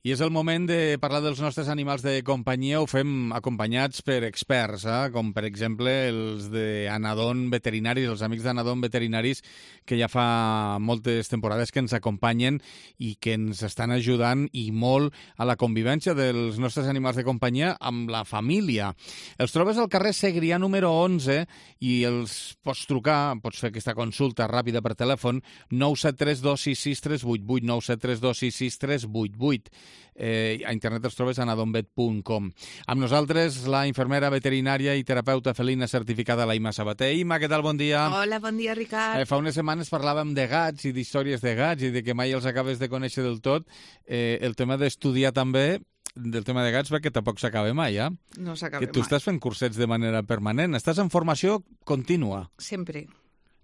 I és el moment de parlar dels nostres animals de companyia. Ho fem acompanyats per experts, com per exemple els d'Anadon Veterinaris, els amics d'Anadon Veterinaris, que ja fa moltes temporades que ens acompanyen i que ens estan ajudant i molt a la convivència dels nostres animals de companyia amb la família. Els trobes al carrer Segrià número 11 i els pots trucar, pots fer aquesta consulta ràpida per telèfon 973 266 388, 973 266 388. A internet els trobes a anadonvet.com. Amb nosaltres la infermera veterinària i terapeuta felina certificada Laima Sabater. Ima, què tal? Bon dia. Hola, bon dia, Ricard. Fa unes setmanes parlàvem de gats i d'històries de gats i de que mai els acabes de conèixer del tot. El tema d'estudiar també del tema de gats, perquè tampoc s'acaba mai, No s'acaba mai. Tu estàs fent cursets de manera permanent, estàs en formació contínua. Sempre.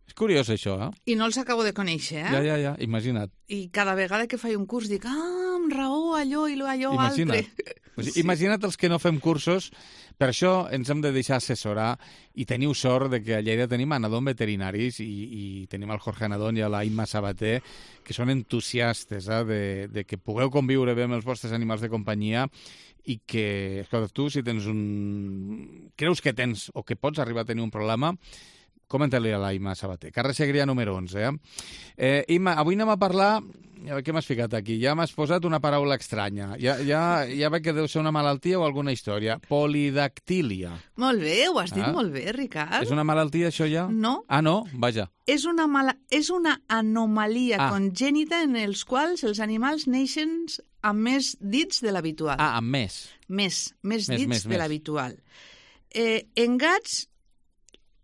És curiós, això, I no els acabo de conèixer, Ja, imagina't. I cada vegada que faig un curs dic, amb raó, allò i allò Imagina't. altre. Sí. Imagina't els que no fem cursos, per això ens hem de deixar assessorar i teniu sort de que a Lleida tenim Anadon Veterinaris i tenim el Jorge Anadon i a la Imma Sabater, que són entusiastes de que pugueu conviure bé amb els vostres animals de companyia i que, escolta, tu, si tens creus que tens o que pots arribar a tenir un problema, comenta-li a la Imma Sabater. Carrer Segrià número 11, Imma, avui anem a parlar... Què m'has ficat aquí? Ja m'has posat una paraula estranya. Ja veig que deu ser una malaltia o alguna història. Polidactília. Molt bé, ho has dit molt bé, Ricard. És una malaltia, això ja? No. No? Vaja. És una anomalia congènita en els quals els animals neixen amb més dits de l'habitual. Amb més. Més dits de l'habitual. En gats,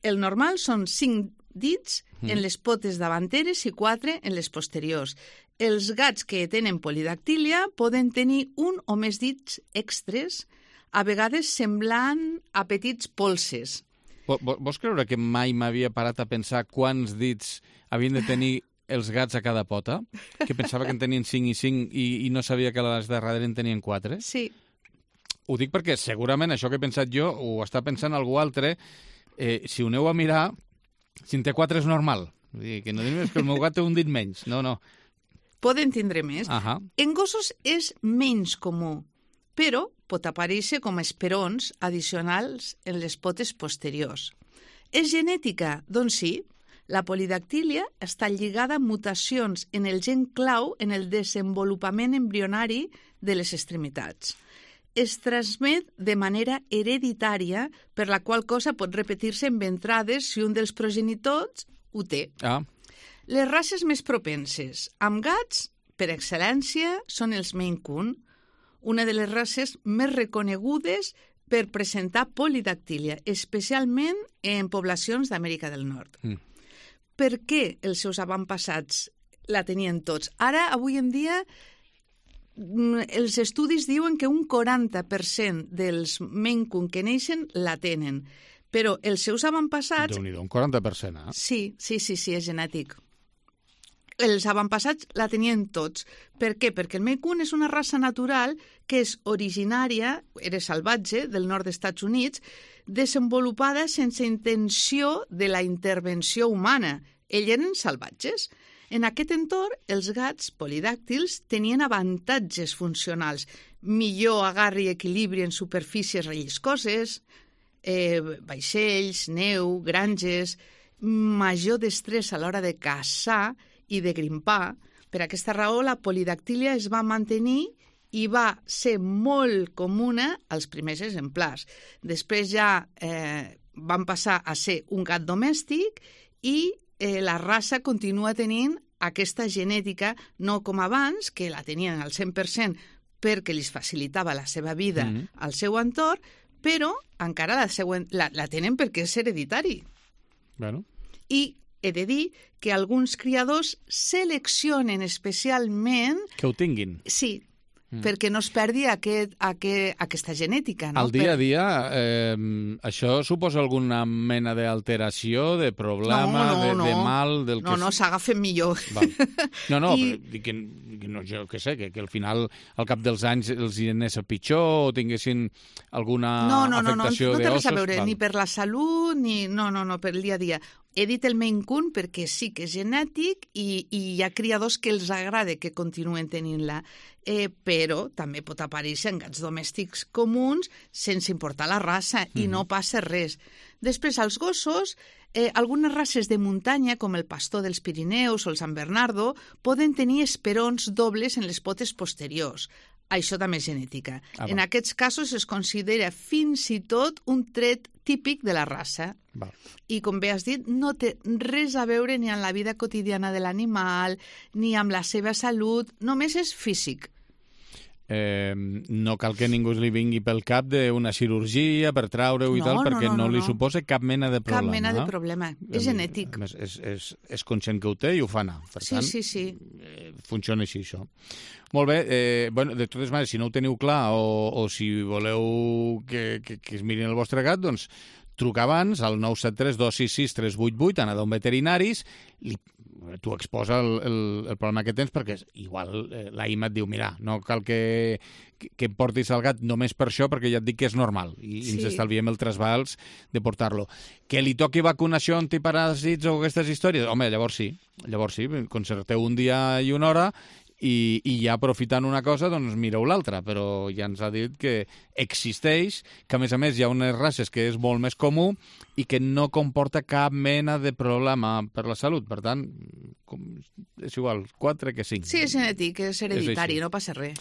el normal són 5 dits en les potes davanteres i 4 en les posteriors. Els gats que tenen polidactília poden tenir un o més dits extres, a vegades semblant a petits polses. Vols creure que mai m'havia parat a pensar quants dits havien de tenir els gats a cada pota? Que pensava que en tenien 5 i 5 i no sabia que les de darrere en tenien 4? Sí. Ho dic perquè segurament això que he pensat jo ho està pensant algú altre. Si ho aneu a mirar, si en té 4 és normal. Vull dir, que no diguis que el meu gat té un dit menys. No. Poden tindre més. En gossos és menys comú, però pot aparèixer com a esperons addicionals en les potes posteriors. És genètica? Doncs sí. La polidactília està lligada a mutacions en el gen clau en el desenvolupament embrionari de les extremitats. Es transmet de manera hereditària, per la qual cosa pot repetir-se en ventrades si un dels progenitors ho té. Les races més propenses amb gats, per excel·lència, són els Maine Coon, una de les races més reconegudes per presentar polidactília, especialment en poblacions d'Amèrica del Nord. Per què els seus avantpassats la tenien tots? Ara, avui en dia, els estudis diuen que un 40% dels Maine Coon que neixen la tenen, però els seus avantpassats... Déu-n'hi-do, un 40%, Sí, és genètic. Els avantpassats la tenien tots. Per què? Perquè el Maine Coon és una raça natural que és originària, era salvatge, del nord dels Estats Units, desenvolupada sense intenció de la intervenció humana. Ells eren salvatges. En aquest entorn, els gats polidàctils tenien avantatges funcionals, millor agarre i equilibri en superfícies relliscoses, vaixells, neu, granges, major destrès a l'hora de caçar i de grimpar. Per aquesta raó, la polidactília es va mantenir i va ser molt comuna als primers exemplars. Després ja van passar a ser un gat domèstic i la raça continua tenint aquesta genètica, no com abans, que la tenien al 100% perquè li facilitava la seva vida al seu entorn, però encara la tenen perquè és hereditari. I he de dir que alguns criadors seleccionen especialment... Que ho tinguin. Sí, perquè no es perdi aquesta genètica. Al dia a dia, això suposa alguna mena d'alteració, de problema, de mal... No, s'agafen millor. No, jo què sé, que al final, al cap dels anys, els hi anés a pitjor o tinguessin alguna afectació d'ossos. No té res a veure, ni per la salut, ni... No, per el dia a dia. he dit el Maine Coon perquè sí que és genètic i hi ha criadors que els agrada que continuen tenint-la, però també pot aparèixer en gats domèstics comuns sense importar la raça i no passa res. Després, als gossos, algunes races de muntanya, com el pastor dels Pirineus o el Sant Bernardo, poden tenir esperons dobles en les potes posteriors. Això també és genètica. En aquests casos es considera fins i tot un tret típic de la raça. I, com bé has dit, no té res a veure ni amb la vida quotidiana de l'animal, ni amb la seva salut, només és físic. No cal que ningú li vingui pel cap d'una cirurgia per traure-ho i tal, perquè no li suposa cap mena de problema. Cap mena de problema. És genètic. És conscient que ho té i ho fa anar. Per tant, sí. Funciona així, això. Molt bé. De totes maneres, si no ho teniu clar o si voleu que es mirin el vostre gat, doncs truca abans al 973 266 388, Anadom Veterinaris, tu exposa el problema que tens perquè igual la Ima et diu, mira, no cal que em portis el gat només per això, perquè ja et dic que és normal i ens estalviem el trasbals de portar-lo. Que li toqui vacunació antiparàsits o aquestes històries? Home, llavors sí, concerteu un dia i una hora i ja aprofitant una cosa, doncs mireu l'altra, però ja ens ha dit que existeix, que a més hi ha unes races que és molt més comú i que no comporta cap mena de problema per la salut. Per tant, és igual, 4 que 5. Sí, és genètic, és hereditari, no passa res.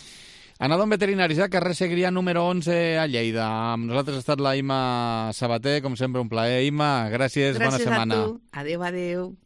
Anadom Veterinaris, carrer Segrià número 11 a Lleida. Amb nosaltres ha estat la Ima Sabater, com sempre un plaer. Ima, gràcies, bona setmana. Gràcies a tu. Adéu.